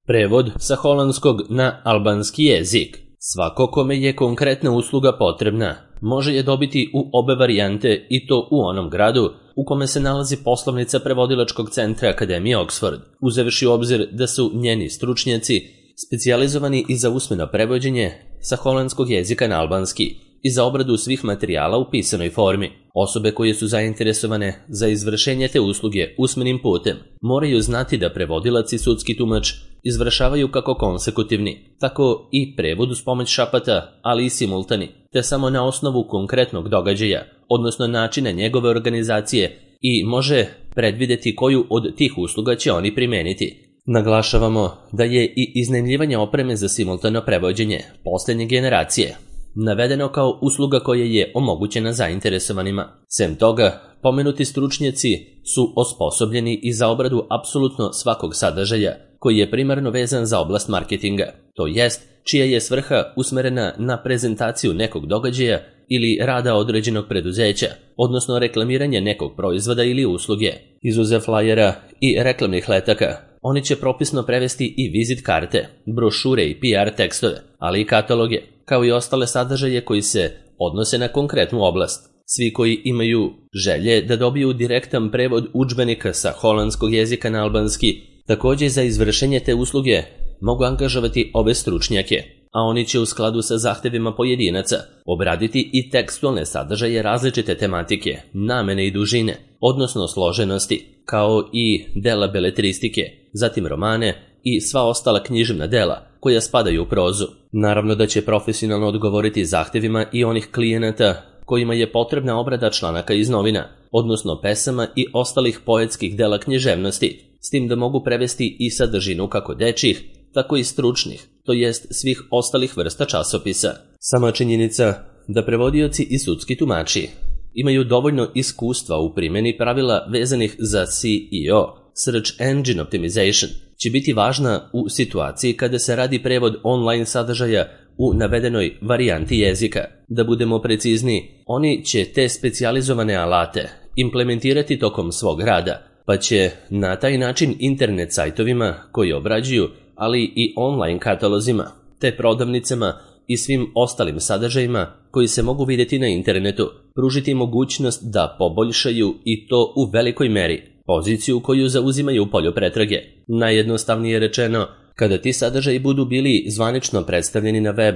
Prevod sa holandskog na albanski jezik. Svako kome je konkretna usluga potrebna može je dobiti u obe varijante i to u onom gradu u kome se nalazi poslovnica prevodilačkog centra Akademije Oxford, uzevši u obzir da su njeni stručnjaci specijalizovani i za usmeno prevođenje sa holandskog jezika na albanski i za obradu svih materijala u pisanoj formi. Osobe koje su zainteresovane za izvršenje te usluge usmenim putem moraju znati da prevodilac i sudski tumač izvršavaju kako konsekutivni, tako i prevod uz pomoć šapata, ali i simultani, te samo na osnovu konkretnog događaja, odnosno načina njegove organizacije i može predvideti koju od tih usluga će oni primeniti. Naglašavamo da je i iznajmljivanje opreme za simultano prevođenje posljednje generacije navedeno kao usluga koja je omogućena zainteresovanima. Sem toga, pomenuti stručnjaci su osposobljeni i za obradu apsolutno svakog sadržaja koji je primarno vezan za oblast marketinga, to jest čija je svrha usmerena na prezentaciju nekog događaja ili rada određenog preduzeća, odnosno reklamiranje nekog proizvoda ili usluge. Izuzev flajera i reklamnih letaka, oni će propisno prevesti i vizit karte, brošure i PR tekstove, ali i kataloge, kao i ostale sadržaje koji se odnose na konkretnu oblast. Svi koji imaju želje da dobiju direktan prevod udžbenika sa holandskog jezika na albanski, također za izvršenje te usluge mogu angažovati ove stručnjake, a oni će u skladu sa zahtevima pojedinaca obraditi i tekstualne sadržaje različite tematike, namene i dužine, odnosno složenosti, kao i dela beletristike, zatim romane i sva ostala književna dela koja spadaju u prozu. Naravno da će profesionalno odgovoriti zahtevima i onih klijenata kojima je potrebna obrada članaka iz novina, odnosno pesama i ostalih poetskih dela književnosti, s tim da mogu prevesti i sadržinu kako dečjih, tako i stručnih, to jest svih ostalih vrsta časopisa. Sama činjenica da prevodioci i sudski tumači imaju dovoljno iskustva u primjeni pravila vezanih za SEO, Search Engine Optimization, će biti važna u situaciji kada se radi prevod online sadržaja u navedenoj varijanti jezika. Da budemo precizniji, oni će te specijalizovane alate implementirati tokom svog rada, pa će na taj način internet sajtovima koji obrađuju, ali i online katalozima, te prodavnicama i svim ostalim sadržajima koji se mogu vidjeti na internetu, pružiti mogućnost da poboljšaju i to u velikoj meri poziciju koju zauzimaju u polju pretrage. Najjednostavnije rečeno, kada ti sadržaji budu bili zvanično predstavljeni na web,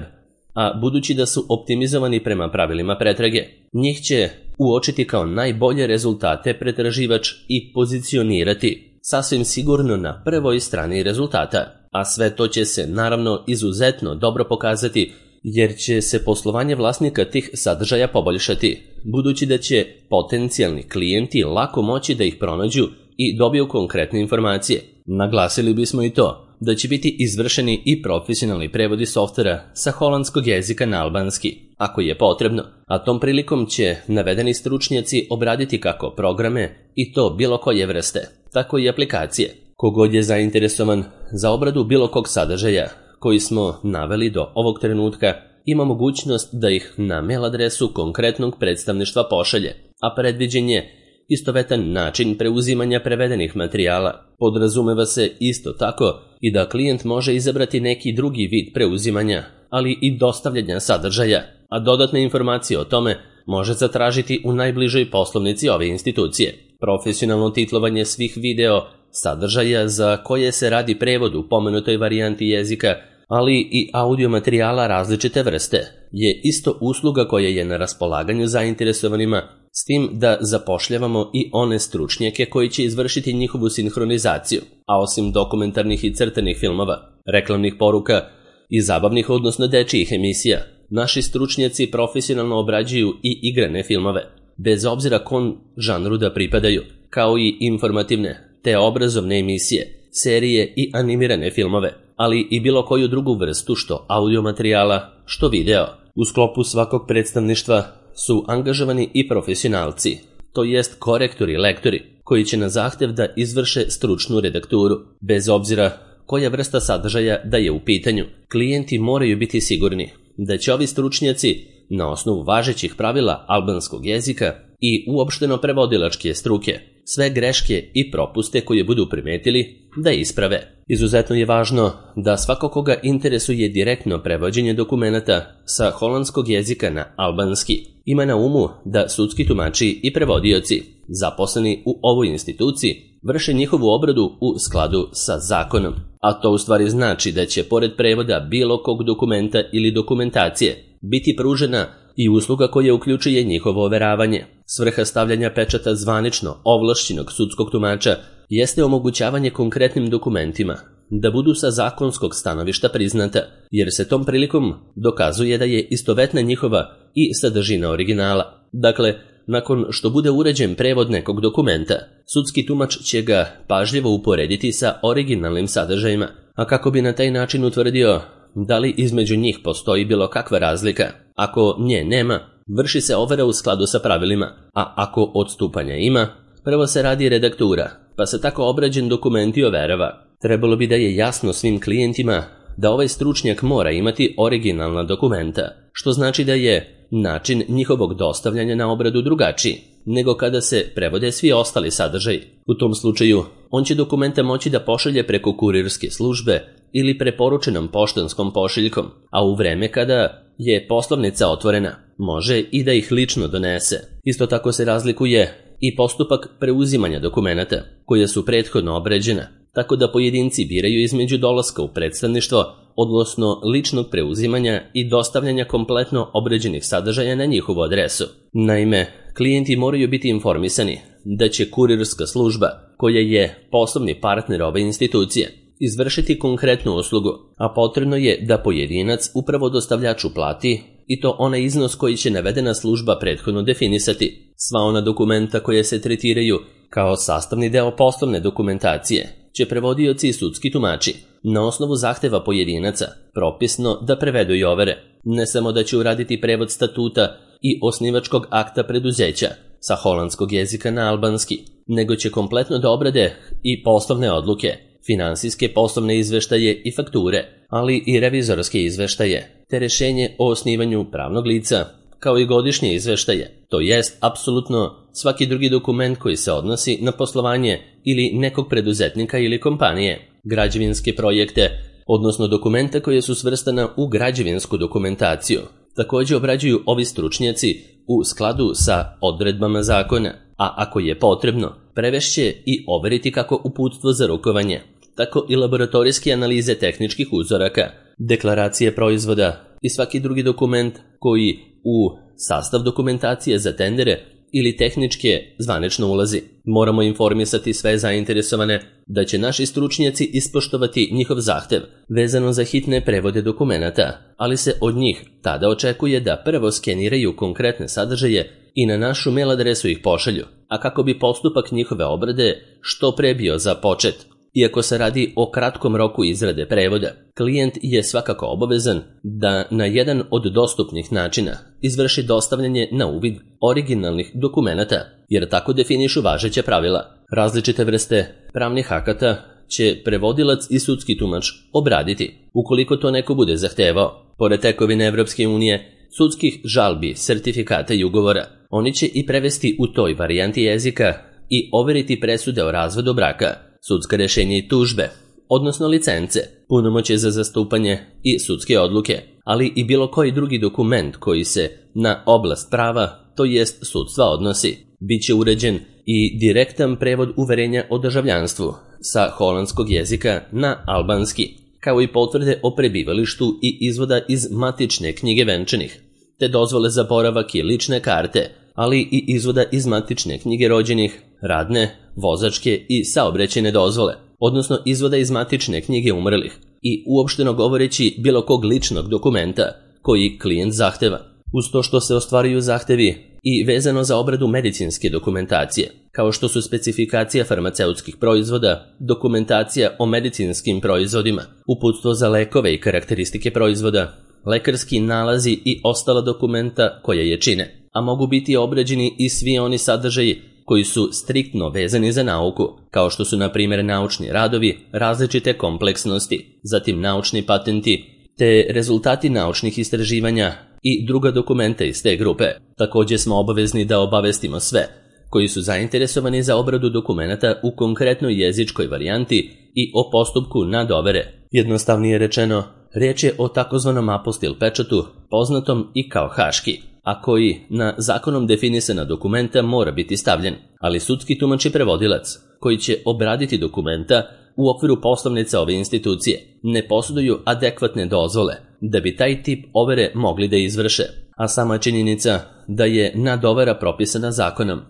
a budući da su optimizovani prema pravilima pretrage, njih će uočiti kao najbolje rezultate pretraživač i pozicionirati sasvim sigurno na prvoj strani rezultata, a sve to će se naravno izuzetno dobro pokazati jer će se poslovanje vlasnika tih sadržaja poboljšati, budući da će potencijalni klijenti lako moći da ih pronađu i dobiju konkretne informacije. Naglasili bismo i to da će biti izvršeni i profesionalni prevodi softvera sa holandskog jezika na albanski, ako je potrebno, a tom prilikom će navedeni stručnjaci obraditi kako programe i to bilo koje vrste, tako i aplikacije. Kogod je zainteresovan za obradu bilo kog sadržaja koji smo naveli do ovog trenutka, ima mogućnost da ih na mail adresu konkretnog predstavništva pošalje, a predviđen je istovetan način preuzimanja prevedenih materijala. Podrazumeva se isto tako i da klijent može izabrati neki drugi vid preuzimanja, ali i dostavljanja sadržaja, a dodatne informacije o tome može zatražiti u najbližoj poslovnici ove institucije. Profesionalno titlovanje svih video sadržaja za koje se radi prevod u pomenutoj varijanti jezika, ali i audio materijala različite vrste, je isto usluga koja je na raspolaganju zainteresovanima, s tim da zapošljavamo i one stručnjake koji će izvršiti njihovu sinhronizaciju, a osim dokumentarnih i crtanih filmova, reklamnih poruka i zabavnih odnosno dečijih emisija, naši stručnjaci profesionalno obrađuju i igrane filmove, bez obzira kom žanru da pripadaju, kao i informativne te obrazovne emisije, serije i animirane filmove, ali i bilo koju drugu vrstu što audio materijala, što video. U sklopu svakog predstavništva su angažovani i profesionalci, to jest korektori, lektori, koji će na zahtev da izvrše stručnu redakturu. Bez obzira koja vrsta sadržaja da je u pitanju, klijenti moraju biti sigurni da će ovi stručnjaci na osnovu važećih pravila albanskog jezika i uopšteno prevodilačke struke sve greške i propuste koje budu primetili da isprave. Izuzetno je važno da svako koga interesuje direktno prevođenje dokumenata sa holandskog jezika na albanski ima na umu da sudski tumači i prevodioci zaposleni u ovoj instituciji vrše njihovu obradu u skladu sa zakonom. A to u stvari znači da će pored prevoda bilo kog dokumenta ili dokumentacije biti pružena i usluga koja uključuje njihovo overavanje. Svrha stavljanja pečata zvanično ovlašćenog sudskog tumača jeste omogućavanje konkretnim dokumentima da budu sa zakonskog stanovišta priznata, jer se tom prilikom dokazuje da je istovetna njihova i sadržina originala. Dakle, nakon što bude uređen prevod nekog dokumenta, sudski tumač će ga pažljivo uporediti sa originalnim sadržajima, a kako bi na taj način utvrdio da li između njih postoji bilo kakva razlika. Ako nje nema, vrši se overa u skladu sa pravilima, a ako odstupanja ima, prvo se radi redaktura, pa se tako obrađen dokument i overava. Trebalo bi da je jasno svim klijentima da ovaj stručnjak mora imati originalna dokumenta, što znači da je način njihovog dostavljanja na obradu drugačiji nego kada se prevode svi ostali sadržaji. U tom slučaju, on će dokumenta moći da pošalje preko kurirske službe ili preporučenom poštanskom pošiljkom, a u vreme kada je poslovnica otvorena, može i da ih lično donese. Isto tako se razlikuje i postupak preuzimanja dokumenata, koja su prethodno obređena, tako da pojedinci biraju između dolaska u predstavništvo, odnosno ličnog preuzimanja i dostavljanja kompletno obređenih sadržaja na njihovu adresu. Naime, klijenti moraju biti informisani da će kurirska služba, koja je poslovni partner ove institucije, izvršiti konkretnu uslugu, a potrebno je da pojedinac upravo dostavljaču plati i to onaj iznos koji će navedena služba prethodno definisati. Sva ona dokumenta koje se tretiraju kao sastavni deo poslovne dokumentacije će prevodioci i sudski tumači na osnovu zahteva pojedinaca propisno da prevedu i overe. Ne samo da će uraditi prevod statuta i osnivačkog akta preduzeća sa holandskog jezika na albanski, nego će kompletno da obrade i poslovne odluke, finansijske poslovne izveštaje i fakture, ali i revizorske izveštaje, te rešenje o osnivanju pravnog lica, kao i godišnje izveštaje, to jest apsolutno svaki drugi dokument koji se odnosi na poslovanje ili nekog preduzetnika ili kompanije, građevinske projekte, odnosno dokumenta koje su svrstana u građevinsku dokumentaciju. Također obrađuju ovi stručnjaci u skladu sa odredbama zakona, a ako je potrebno, prevešće i overiti kako uputstvo za rukovanje, tako i laboratorijske analize tehničkih uzoraka, deklaracije proizvoda i svaki drugi dokument koji u sastav dokumentacije za tendere ili tehničke zvanično ulazi. Moramo informisati sve zainteresovane da će naši stručnjaci ispoštovati njihov zahtev vezano za hitne prevode dokumenata, ali se od njih tada očekuje da prvo skeniraju konkretne sadržaje i na našu mail adresu ih pošalju, a kako bi postupak njihove obrade što pre bio započet. Iako se radi o kratkom roku izrade prevoda, klijent je svakako obavezan da na jedan od dostupnih načina izvrši dostavljanje na uvid originalnih dokumenata, jer tako definišu važeća pravila. Različite vrste pravnih akata će prevodilac i sudski tumač obraditi, ukoliko to neko bude zahtevao. Pored tekovine Evropske unije, sudskih žalbi, sertifikata i ugovora, oni će i prevesti u toj varijanti jezika i overiti presude o razvodu braka, sudska rešenja i tužbe, odnosno licence, punomoćje za zastupanje i sudske odluke, ali i bilo koji drugi dokument koji se na oblast prava, to jest sudstva, odnosi. Biće uređen i direktan prevod uverenja o državljanstvu sa holandskog jezika na albanski, kao i potvrde o prebivalištu i izvoda iz matične knjige venčanih, te dozvole za boravak i lične karte, ali i izvoda iz matične knjige rođenih, radne, vozačke i saobraćajne dozvole, odnosno izvoda iz matične knjige umrlih i uopšteno govoreći bilo kog ličnog dokumenta koji klijent zahteva. Uz to što se ostvaruju zahtevi i vezano za obradu medicinske dokumentacije, kao što su specifikacija farmaceutskih proizvoda, dokumentacija o medicinskim proizvodima, uputstvo za lekove i karakteristike proizvoda, lekarski nalazi i ostala dokumenta koja je čine, a mogu biti obrađeni i svi oni sadržaji koji su striktno vezani za nauku, kao što su na primjer naučni radovi različite kompleksnosti, zatim naučni patenti, te rezultati naučnih istraživanja i druga dokumenta iz te grupe. Također smo obavezni da obavestimo sve koji su zainteresovani za obradu dokumenata u konkretnoj jezičkoj varijanti i o postupku nadovere. Jednostavnije rečeno, riječ je o takozvanom apostil pečatu, poznatom i kao haški, a koji na zakonom definisana dokumenta mora biti stavljen, ali sudski tumač i prevodilac, koji će obraditi dokumenta u okviru poslovnica ove institucije, ne posjeduju adekvatne dozvole da bi taj tip overe mogli da izvrše, a sama činjenica da je nadovera propisana zakonom,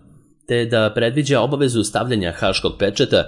te da predviđa obavezu stavljanja haškog pečata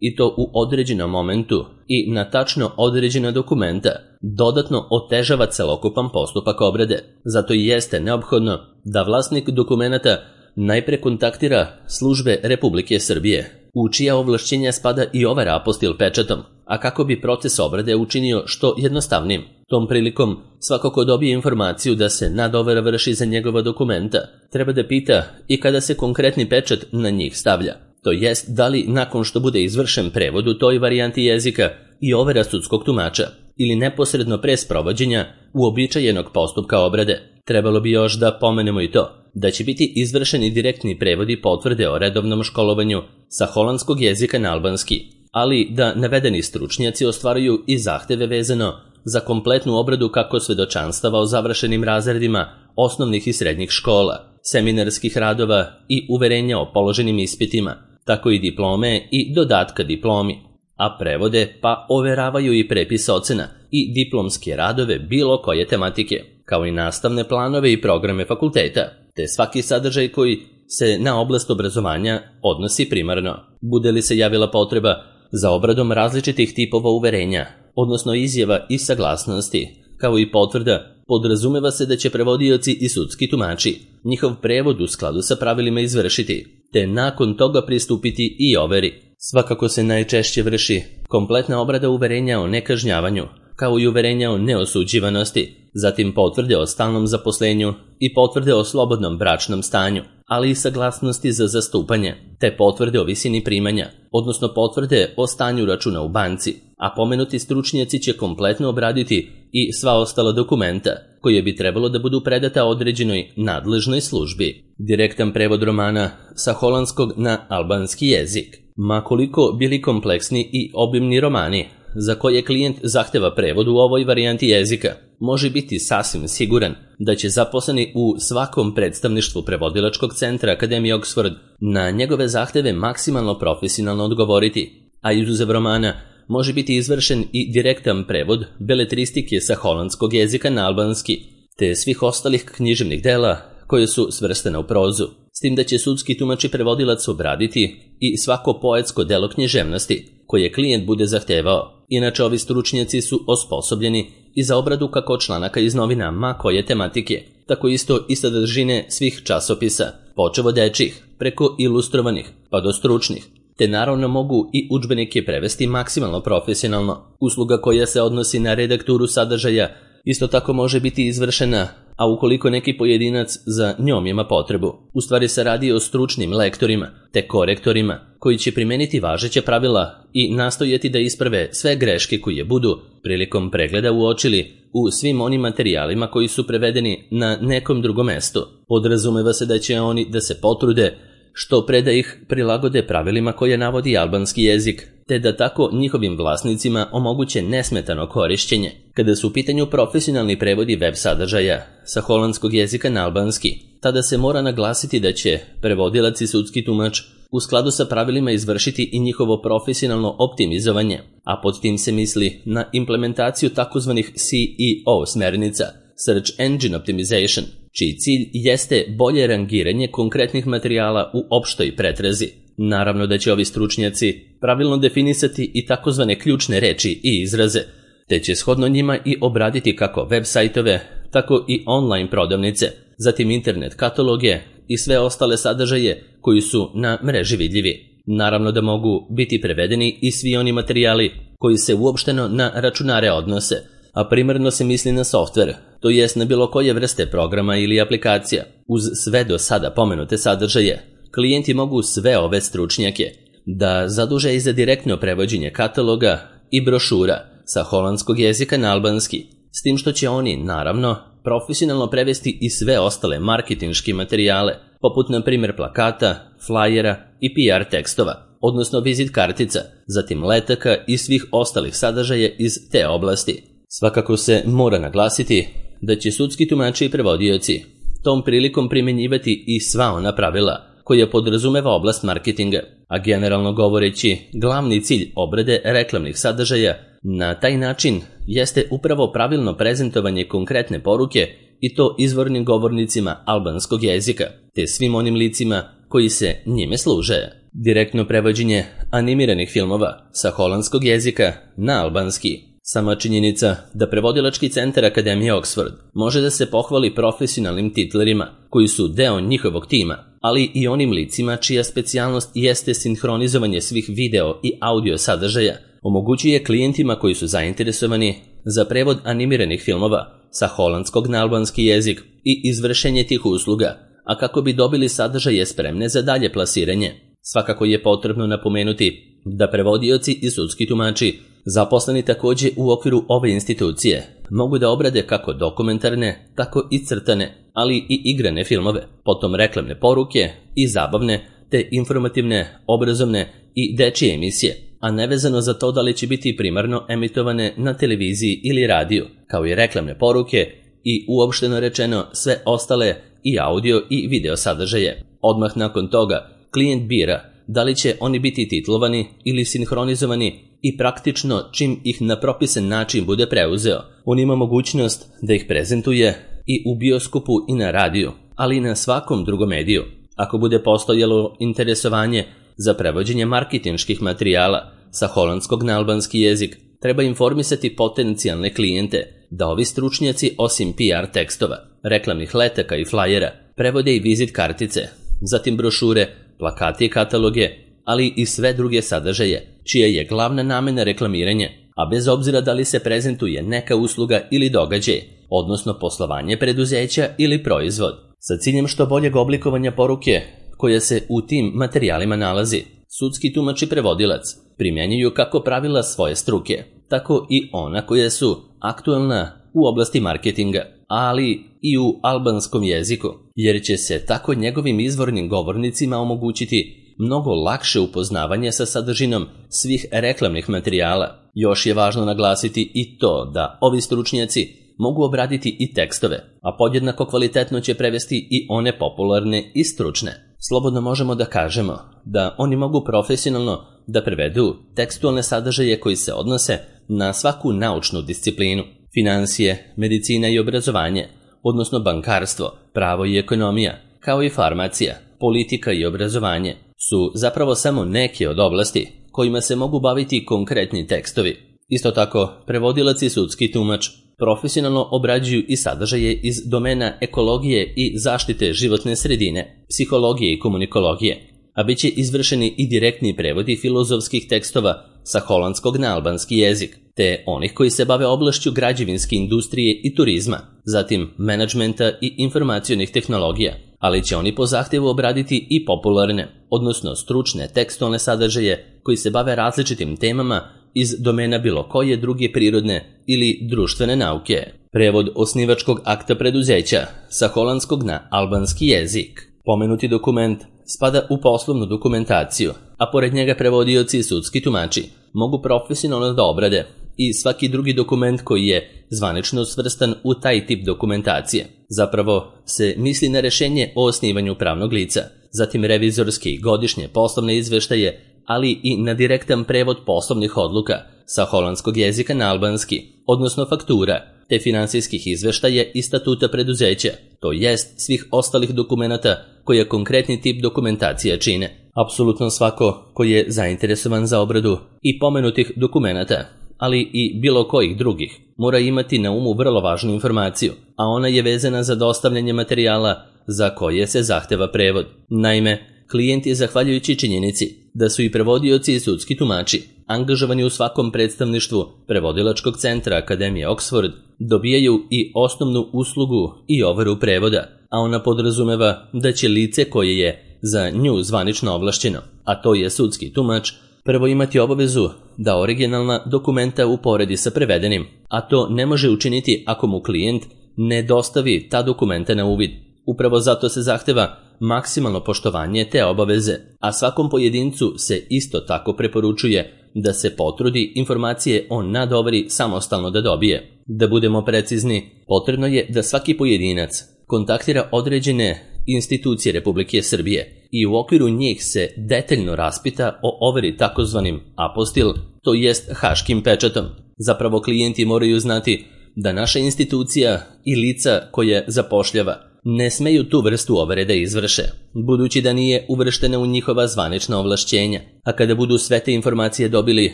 i to u određenom momentu i na tačno određena dokumenta, dodatno otežava celokupan postupak obrade. Zato i jeste neophodno da vlasnik dokumenata najpre kontaktira službe Republike Srbije, u čija ovlašćenja spada i overa apostil pečatom, a kako bi proces obrade učinio što jednostavnim. Tom prilikom, svako ko dobije informaciju da se nadovera vrši za njegova dokumenta, treba da pita i kada se konkretni pečat na njih stavlja. To jest, da li nakon što bude izvršen prevod u toj varijanti jezika i overa sudskog tumača, ili neposredno pre sprovođenja uobičajenog postupka obrade. Trebalo bi još da pomenemo i to, da će biti izvršeni direktni prevodi potvrde o redovnom školovanju sa holandskog jezika na albanski, ali da navedeni stručnjaci ostvaruju i zahteve vezano za kompletnu obradu kako svedočanstava o završenim razredima osnovnih i srednjih škola, seminarskih radova i uverenja o položenim ispitima, tako i diplome i dodatka diplomi, a prevode pa overavaju i prepis ocena i diplomske radove bilo koje tematike, kao i nastavne planove i programe fakulteta, te svaki sadržaj koji se na oblast obrazovanja odnosi primarno. Bude li se javila potreba za obradom različitih tipova uverenja, odnosno izjava i saglasnosti, kao i potvrda, podrazumeva se da će prevodioci i sudski tumači njihov prevod u skladu sa pravilima izvršiti, te nakon toga pristupiti i overi. Svakako se najčešće vrši kompletna obrada uverenja o nekažnjavanju, kao i uverenja o neosuđivanosti, zatim potvrde o stalnom zaposlenju i potvrde o slobodnom bračnom stanju, ali i saglasnosti za zastupanje, te potvrde o visini primanja, odnosno potvrde o stanju računa u banci, a pomenuti stručnjaci će kompletno obraditi i sva ostala dokumenta, koje bi trebalo da budu predata određenoj nadležnoj službi. Direktan prevod romana sa holandskog na albanski jezik. Ma koliko bili kompleksni i obimni romani, za koje klijent zahteva prevod u ovoj varijanti jezika, može biti sasvim siguran da će zaposleni u svakom predstavništvu prevodilačkog centra Akademije Oxford na njegove zahteve maksimalno profesionalno odgovoriti, a izuzev romana može biti izvršen i direktan prevod beletristike sa holandskog jezika na albanski, te svih ostalih književnih dela koje su svrstane u prozu, s tim da će sudski tumač i prevodilac obraditi i svako poetsko delo književnosti koje klijent bude zahtevao. Inače, ovi stručnjaci su osposobljeni i za obradu kako članaka iz novina ma koje tematike, tako isto i sadržine svih časopisa, počev od dečjih, preko ilustrovanih pa do stručnih, te naravno mogu i udžbenike prevesti maksimalno profesionalno. Usluga koja se odnosi na redakturu sadržaja isto tako može biti izvršena, a ukoliko neki pojedinac za njom ima potrebu. U stvari se radi o stručnim lektorima te korektorima koji će primeniti važeća pravila i nastojati da isprave sve greške koje budu prilikom pregleda uočili u svim onim materijalima koji su prevedeni na nekom drugom mestu. Podrazumeva se da će oni da se potrude što pre da ih prilagode pravilima koje navodi albanski jezik, te da tako njihovim vlasnicima omoguće nesmetano korišćenje. Kada su u pitanju profesionalni prevodi web sadržaja sa holandskog jezika na albanski, tada se mora naglasiti da će prevodilac i sudski tumač u skladu sa pravilima izvršiti i njihovo profesionalno optimizovanje, a pod tim se misli na implementaciju takozvanih SEO smernica, Search Engine Optimization, čiji cilj jeste bolje rangiranje konkretnih materijala u opštoj pretrazi. Naravno da će ovi stručnjaci pravilno definisati i takozvane ključne reči i izraze, te će shodno njima i obraditi kako web sajtove, tako i online prodavnice, zatim internet kataloge i sve ostale sadržaje koji su na mreži vidljivi. Naravno da mogu biti prevedeni i svi oni materijali koji se uopšteno na računare odnose, a primarno se misli na softver, to jest na bilo koje vrste programa ili aplikacija. Uz sve do sada pomenute sadržaje, klijenti mogu sve ove stručnjake da zaduže i za direktno prevođenje kataloga i brošura sa holandskog jezika na albanski, s tim što će oni, naravno, profesionalno prevesti i sve ostale marketinške materijale, poput na primjer plakata, flajera i PR tekstova, odnosno vizit kartica, zatim letaka i svih ostalih sadržaja iz te oblasti. Svakako se mora naglasiti da će sudski tumači i prevodioci tom prilikom primjenjivati i sva ona pravila koja podrazumeva oblast marketinga, a generalno govoreći, glavni cilj obrade reklamnih sadržaja na taj način jeste upravo pravilno prezentovanje konkretne poruke i to izvornim govornicima albanskog jezika, te svim onim licima koji se njime služe. Direktno prevođenje animiranih filmova sa holandskog jezika na albanski. Sama činjenica da prevodilački centar Akademije Oxford može da se pohvali profesionalnim titlerima koji su deo njihovog tima, ali i onim licima čija specijalnost jeste sinhronizovanje svih video i audio sadržaja, omogućuje klijentima koji su zainteresovani za prevod animiranih filmova sa holandskog na albanski jezik i izvršenje tih usluga, a kako bi dobili sadržaje spremne za dalje plasiranje. Svakako je potrebno napomenuti da prevodioci i sudski tumači, zaposleni također u okviru ove institucije, mogu da obrade kako dokumentarne, tako i crtane, ali i igrane filmove, potom reklamne poruke i zabavne, te informativne, obrazovne i dečije emisije, a nevezano za to da li će biti primarno emitovane na televiziji ili radiju, kao i reklamne poruke i uopšteno rečeno sve ostale i audio i video sadržaje. Odmah nakon toga klijent bira da li će oni biti titlovani ili sinhronizovani i praktično čim ih na propisan način bude preuzeo, on ima mogućnost da ih prezentuje i u bioskopu i na radiju, ali i na svakom drugom mediju. Ako bude postojalo interesovanje za prevođenje marketinških materijala sa holandskog na albanski jezik, treba informisati potencijalne klijente da ovi stručnjaci osim PR tekstova, reklamnih letaka i flajera, prevode i vizit kartice, zatim brošure, plakate i kataloge, ali i sve druge sadržaje, čija je glavna namena reklamiranje, a bez obzira da li se prezentuje neka usluga ili događaj, odnosno poslovanje preduzeća ili proizvod, sa ciljem što boljeg oblikovanja poruke koja se u tim materijalima nalazi. Sudski tumač i prevodilac primjenjuju kako pravila svoje struke, tako i ona koja su aktualna u oblasti marketinga, ali i u albanskom jeziku, jer će se tako njegovim izvornim govornicima omogućiti mnogo lakše upoznavanje sa sadržinom svih reklamnih materijala. Još je važno naglasiti i to da ovi stručnjaci mogu obraditi i tekstove, a podjednako kvalitetno će prevesti i one popularne i stručne. Slobodno možemo da kažemo da oni mogu profesionalno da prevedu tekstualne sadržaje koji se odnose na svaku naučnu disciplinu, finansije, medicina i obrazovanje, odnosno bankarstvo, pravo i ekonomija, kao i farmacija, politika i obrazovanje, su zapravo samo neke od oblasti kojima se mogu baviti konkretni tekstovi. Isto tako, prevodilac i sudski tumač profesionalno obrađuju i sadržaje iz domena ekologije i zaštite životne sredine, psihologije i komunikologije, a bit će izvršeni i direktni prevodi filozofskih tekstova sa holandskog na albanski jezik, te onih koji se bave oblašću građevinske industrije i turizma, zatim menadžmenta i informacionih tehnologija, ali će oni po zahtjevu obraditi i popularne, odnosno stručne tekstualne sadržaje koji se bave različitim temama iz domena bilo koje druge prirodne ili društvene nauke. Prevod osnivačkog akta preduzeća sa holandskog na albanski jezik. Pomenuti dokument spada u poslovnu dokumentaciju, a pored njega prevodioci i sudski tumači mogu profesionalno da obrade i svaki drugi dokument koji je zvanično svrstan u taj tip dokumentacije. Zapravo se misli na rešenje o osnivanju pravnog lica, zatim revizorske i godišnje poslovne izveštaje, ali i na direktan prevod poslovnih odluka sa holandskog jezika na albanski, odnosno faktura, te finansijskih izveštaja i statuta preduzeća, to jest svih ostalih dokumenata koje konkretni tip dokumentacija čine. Apsolutno svako ko je zainteresovan za obradu i pomenutih dokumenata, ali i bilo kojih drugih, mora imati na umu vrlo važnu informaciju, a ona je vezana za dostavljanje materijala za koje se zahteva prevod. Naime, klijent je zahvaljujući činjenici da su i prevodioci i sudski tumači angažovani u svakom predstavništvu prevodilačkog centra Akademije Oxford, dobijaju i osnovnu uslugu i overu prevoda, a ona podrazumeva da će lice koje je za nju zvanično ovlašćeno, a to je sudski tumač, prvo imati obavezu da originalna dokumenta uporedi sa prevedenim, a to ne može učiniti ako mu klijent ne dostavi ta dokumenta na uvid. Upravo zato se zahteva maksimalno poštovanje te obaveze, a svakom pojedincu se isto tako preporučuje da se potrudi informacije o nadoveri samostalno da dobije. Da budemo precizni, potrebno je da svaki pojedinac kontaktira određene institucije Republike Srbije i u okviru njih se detaljno raspita o overi takozvanim apostil, to jest haškim pečatom. Zapravo klijenti moraju znati da naša institucija i lica koje zapošljava ne smeju tu vrstu overe da izvrše, budući da nije uvrštena u njihova zvanična ovlašćenja, a kada budu sve te informacije dobili,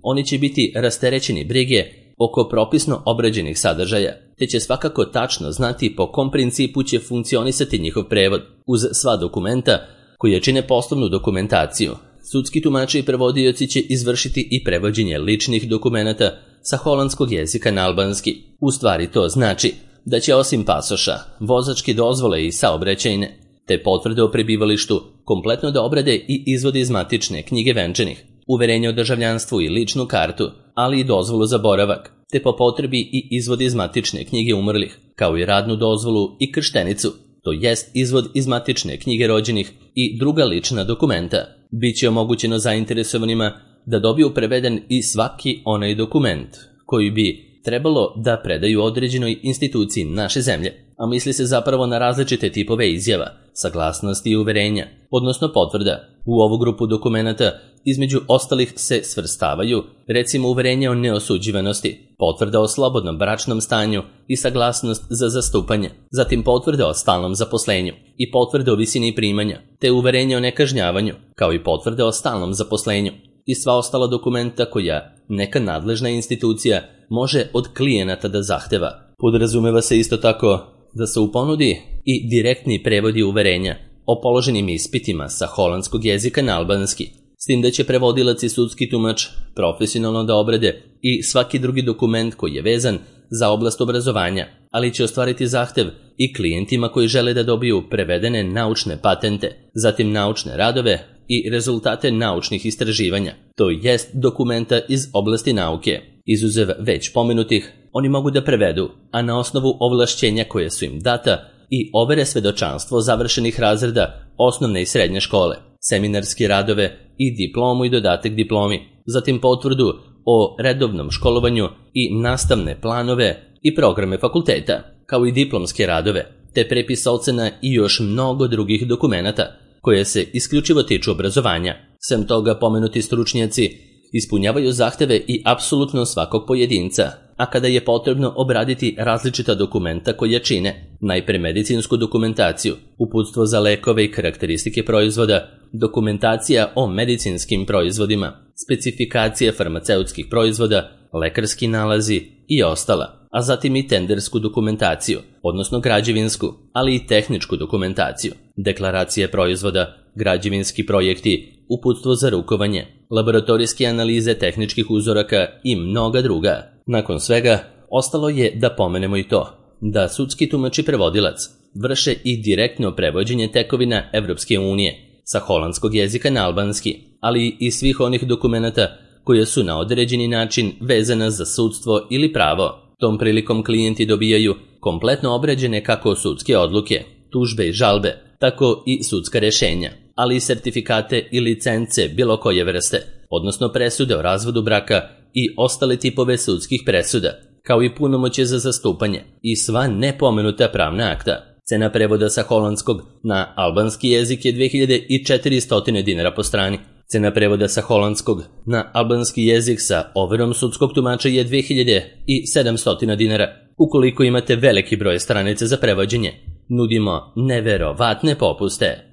oni će biti rasterećeni brige oko propisno obrađenih sadržaja, te će svakako tačno znati po kom principu će funkcionisati njihov prevod, uz sva dokumenta koje čine poslovnu dokumentaciju. Sudski tumači i prevodioci će izvršiti i prevođenje ličnih dokumenata sa holandskog jezika na albanski. U stvari to znači da će osim pasoša, vozačke dozvole i saobraćajne, te potvrde o prebivalištu, kompletno da obrade i izvode iz matične knjige venčanih, uverenje o državljanstvu i ličnu kartu, ali i dozvolu za boravak, te po potrebi i izvod iz matične knjige umrlih, kao i radnu dozvolu i krštenicu, to jest izvod iz matične knjige rođenih i druga lična dokumenta. Biće omogućeno zainteresovanima da dobiju preveden i svaki onaj dokument koji bi trebalo da predaju određenoj instituciji naše zemlje, a misli se zapravo na različite tipove izjava, saglasnosti i uverenja, odnosno potvrda. U ovu grupu dokumenata između ostalih se svrstavaju recimo uverenje o neosuđivanosti, potvrda o slobodnom bračnom stanju i saglasnost za zastupanje, zatim potvrda o stalnom zaposlenju i potvrda o visini primanja, te uverenje o nekažnjavanju, kao i potvrda o stalnom zaposlenju i sva ostala dokumenta koja neka nadležna institucija može od klijenata da zahteva. Podrazumeva se isto tako da se u ponudi i direktni prevodi uverenja o položenim ispitima sa holandskog jezika na albanski, s tim da će prevodilac i sudski tumač profesionalno da obrade i svaki drugi dokument koji je vezan za oblast obrazovanja, ali će ostvariti zahtev i klijentima koji žele da dobiju prevedene naučne patente, zatim naučne radove i rezultate naučnih istraživanja, to jest dokumenta iz oblasti nauke. Izuzev već pomenutih, oni mogu da prevedu, a na osnovu ovlašćenja koje su im data, i overe svedočanstvo završenih razreda osnovne i srednje škole, seminarske radove i diplomu i dodatak diplomi, zatim potvrdu o redovnom školovanju i nastavne planove i programe fakulteta, kao i diplomske radove, te prepis ocena i još mnogo drugih dokumenata koje se isključivo tiču obrazovanja. Sem toga, pomenuti stručnjaci ispunjavaju zahteve i apsolutno svakog pojedinca, a kada je potrebno obraditi različita dokumenta koje čine, najpre medicinsku dokumentaciju, uputstvo za lekove i karakteristike proizvoda, dokumentacija o medicinskim proizvodima, specifikacije farmaceutskih proizvoda, lekarski nalazi i ostala, a zatim i tendersku dokumentaciju, odnosno građevinsku, ali i tehničku dokumentaciju, deklaracije proizvoda, građevinski projekti, uputstvo za rukovanje, laboratorijske analize tehničkih uzoraka i mnoga druga. Nakon svega, ostalo je da pomenemo i to, da sudski tumač i prevodilac vrše i direktno prevođenje tekovina Evropske unije sa holandskog jezika na albanski, ali i svih onih dokumenata koje su na određeni način vezana za sudstvo ili pravo. Tom prilikom klijenti dobijaju kompletno obrađene kako sudske odluke, tužbe i žalbe, tako i sudska rešenja, ali i sertifikate i licence bilo koje vrste, odnosno presude o razvodu braka i ostale tipove sudskih presuda, kao i punomoćje za zastupanje i sva nepomenuta pravna akta. Cena prevoda sa holandskog na albanski jezik je 2400 dinara po strani. Cena prevoda sa holandskog na albanski jezik sa overom sudskog tumača je 2700 dinara. Ukoliko imate veliki broj stranica za prevođenje, nudimo neverovatne popuste.